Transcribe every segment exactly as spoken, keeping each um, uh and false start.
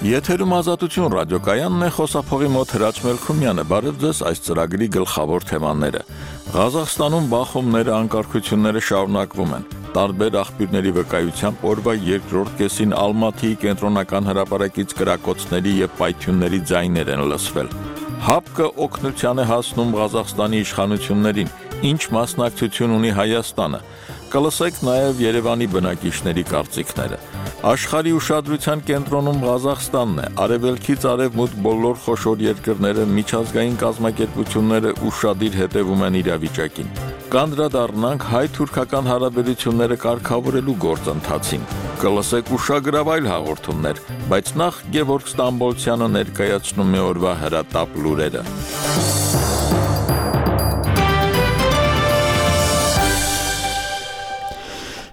Եթերում Ազատություն ռադիոկայանն է, խոսափողի մոտ Հրաչ Մելքումյանը, բարև ձեզ, այս ծրագրի գլխավոր թեմաները։ Ղազախստանում բախումները, անկարգությունները շարունակվում են։ Տարբեր աղբյուրների վկայությամբ օրվա երկրորդ կեսին Ալմաթիի կենտրոնական հրապարակից կրակոցների եւ պայթյունների ձայներ են լսվել։ ՀԱՊԿ-ը օգնության է հասնում Ղազախստանի իշխանություններին, ինչ մասնակցություն ունի Հայաստանը։ Կլսեք նաև Երևանի բնակիչների կարծիքները։ Աշխարհի ուշադրության կենտրոնում Ղազախստանն է, արևելքից արևմուտք բոլոր խոշոր երկրները, միջազգային կազմակերպությունները ուշադիր հետևում են իրավիճակին։ Կանդրադառնանք հայ-թուրքական հարաբերությունները կարգավորելու գործընթացին։ Կլսեք ուշագրավ այլ հաղորդումներ, բայց նախ Գևորգ Ստամբոլցյանը ներկայացնում է օրվա հրատապ լուրերը։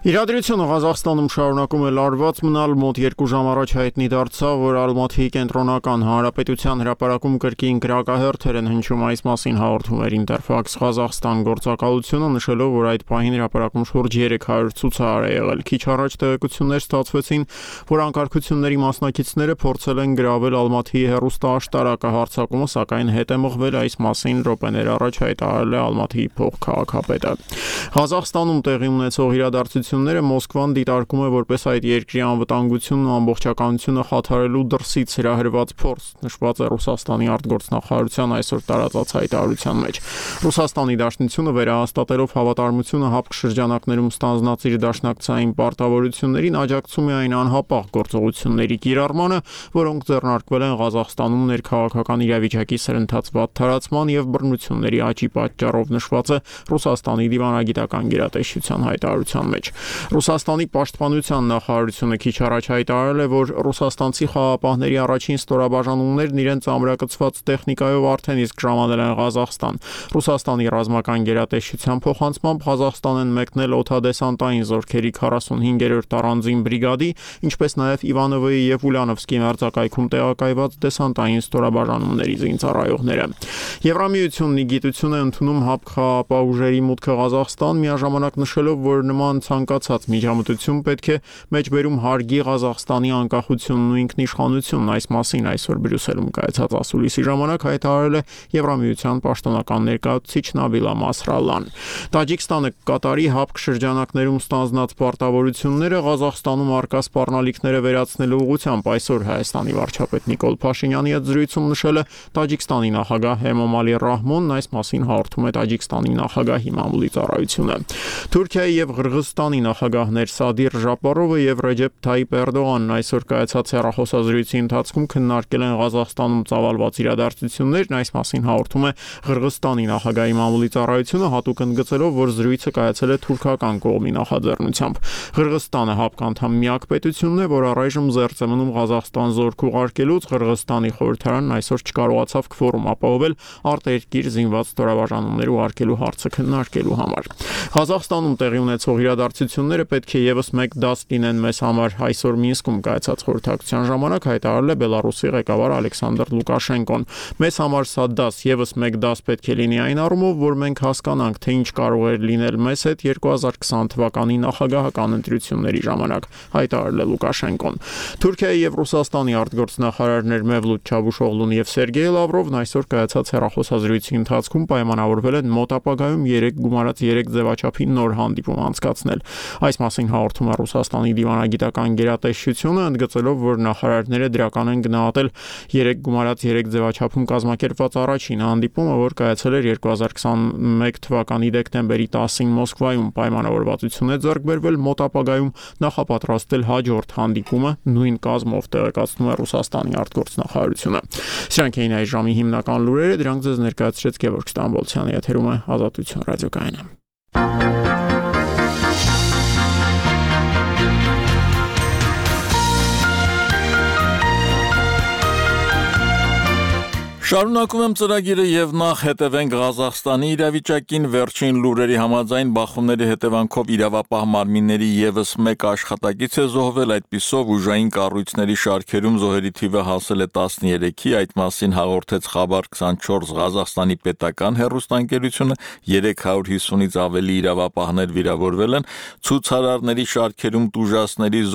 Իրադրությունը Ղազախստանում շարունակում է լարված մնալ, մոտ երկու ժամ առաջ հայտնի դարձավ, որ Ալմաթիի կենտրոնական հանրապետության հրապարակում կրկին կրակահերթեր են հնչում, այս մասին հաղորդում էր Ինտերֆաքս Ղազախստան գործակալությունը, նշելով, որ այդ պահին հրապարակում շուրջ երեք հարյուր ցուցահար է եղել։ Քիչ առաջ տեղեկություններ ստացվեցին, որ անկարգությունների մասնակիցները փորձել են գրավել Ալմաթիի հեռուստաաշտարակը, հարձակումը սակայն հետ է մղվել, այս մասին րոպեներ առաջ հայտարարել է Ալմաթիի փոխքաղաքապետը։ Ղազախստանում տեղի ունեցող իրադարձությունները Մոսկվան դիտարկում է որպես այդ երկրի անվտանգությունն ու ամբողջականությունը խաթարելու դրսից հրահրված փորձ, նշված է Ռուսաստանի արտգործնախարարության այսօր տարածած հայտարարության մեջ։ Ռուսաստանի Դաշնությունը վերահաստատելով հավատարմությունը ՀԱՊԿ շրջանակներում ստանձնած իր դաշնակցային պարտավորություններին աջակցում է այն անհապաղ գործողությունների կիրառմանը, որոնք ձեռնարկվել են Ղազախստանում ներքաղաքական իրավիճակի սրընթաց վատթարացման եւ բռնությունների աճի պատճառով, նշված է Ռուսաստանի դիվանագիտական գերատեսչության հայտարարության մեջ։ Ռուսաստանի պաշտպանության նախարարությունը քիչ առաջ հայտարարել է, որ ռուսաստանցի խաղապահների առաջին ստորաբաժանումներն իրենց ամրակցված տեխնիկայով արդեն իսկ ժամանել են Ղազախստան։ Ռուսաստանի ռազմական գերատեսչության փոխանցմամբ Ղազախստան են մեկնել օդադեսանտային զորքերի քառասունհինգերորդ առանձին բրիգադի, ինչպես նաև Իվանովոյի եւ Ուլյանովսկի մերձակայքում տեղակայված դեսանտային ստորաբաժանումների զինծառայողները։ Եվրամիությունն ի գիտություն է ընդունում ՀԱՊԿ խաղապահ ուժերի մուտքը Ղազախստան, միաժամանակ նշելով, որ նման ցանկացած միջամտություն պետք է մեջբերում հարգի Ղազախստանի անկախությունն ու ինքնիշխանությունն, այս մասին այսօր Բրյուսելում կայացած ասուլիսի ժամանակ հայտարարել է Եվրամիության պաշտոնական ներկայացուցիչ Նաբիլա Մասրալլան։ Տաջիկստանը կկատարի ՀԱՊԿ շրջանակներում ստանձնած պարտավորությունները Ղազախստանում առկա սպառնալիքները վերացնելու ուղղությամբ, այսօր Հայաստանի վարչապետ Նիկոլ Փաշինյանի հետ զրույցում նշել է Տաջիկստանի նախագահ Էմոմալի Ռահմոնն, այս մասին հաղորդում է Տաջիկստանի նախագահի մամուլի ծառայությունը։ Թուրքիայի եւ Ղրղստանի նախագահներ Սադիր Ժապարովը եւ Ռեջեփ Թայիպ Էրդողանն այսօր կայացած հեռախոսազրույցի ընթացքում քննարկել են Ղազախստանում ծավալված իրադարձություններն, այս մասին հաղորդում է Ղրղստանի նախագահի մամուլի ծառայությունը, հատուկ ընդգծելով, որ զրույցը կայացել է թուրքական կողմի նախաձեռնությամբ։ Ղրղստանը ՀԱՊԿ անդամ միակ պետությունն է, որ առայժմ զերծ է մնում Ղազախստան զորք ուղարկելուց։ Ղրղստանի խորհրդարանն այսօր չկարողացավ քվորում ապահովել արտերկիր զինված ստորաբաժանումներ ուղարկելու հարցը քննարկելու համար։ Ղազախստանում տեղի ունեցող իրադարձությունները պետք է եւս մեկ դաս լինեն մեզ համար, այսօր Մինսկում կայացած խորհրդակցության ժամանակ հայտարարել է Բելարուսի ղեկավար Ալեքսանդր Լուկաշենկոն։ Մեզ համար սա դաս եւս մեկ դաս պետք է լինի այն առումով, որ մենք հասկանանք, թե ինչ կարող էր լինել մեզ հետ երկու հազար քսան թվականի նախագահական ընտրությունների ժամանակ, հայտարարել է Լուկաշենկոն։ Թուրքիայի եւ Ռուսաստանի արտգործնախարարներ Մևլութ Չավուշօղլուն եւ Սերգեյ Լավրովն այսօր կայացած հեռախոսազրույցի ընթացքում պայմանավորվել են մոտ ապագայում երեք գումարած երեք ձևաչափի նոր հանդիպում անցկացնել։ Այս մասին հաղորդում է Ռուսաստանի դիվանագիտական գերատեսչությունը, ընդգծելով, որ նախարարները դրական են գնահատել երեք գումարած երեք ձևաչափում կազմակերպված առաջին հանդիպումը, որ կայացել էր երկու հազար քսաներկու թվականի դեկտեմբերի տասին Մոսկվայում, պայմանավորվածություն է ձեռք բերվել մոտ ապագայում նախապատրաստել հաջորդ հանդիպումը նույն կազմով, տեղեկացնում է Ռուսաստանի արտգործնախարարությունը։ Սրանք էին այս ժամի հիմնական լուրերը, դրանք ձեզ ներկայացրեց Գևորգ Ստամբոլցյանը, եթերում է Ազատություն ռադիոկայանը։ Շարունակում եմ ծրագիրը եւ նախ հետևենք Ղազախստանի իրավիճակին, վերջին լուրերի համաձայն բախումների հետևանքով իրավապահ մարմինների եւս մեկ աշխատակից է զոհվել, այդպիսով ուժային կառույցների շարքերում զոհերի թիվը հասել է տասներեքի, այդ մասին հաղորդեց Խաբար քսանչորս Ղազախստանի պետական հեռուստաընկերությունը, երեք հարյուր հիսունից ավելի իրավապահներ վիրավորվել են, ցուցարարների շարքերում տուժածների զոհ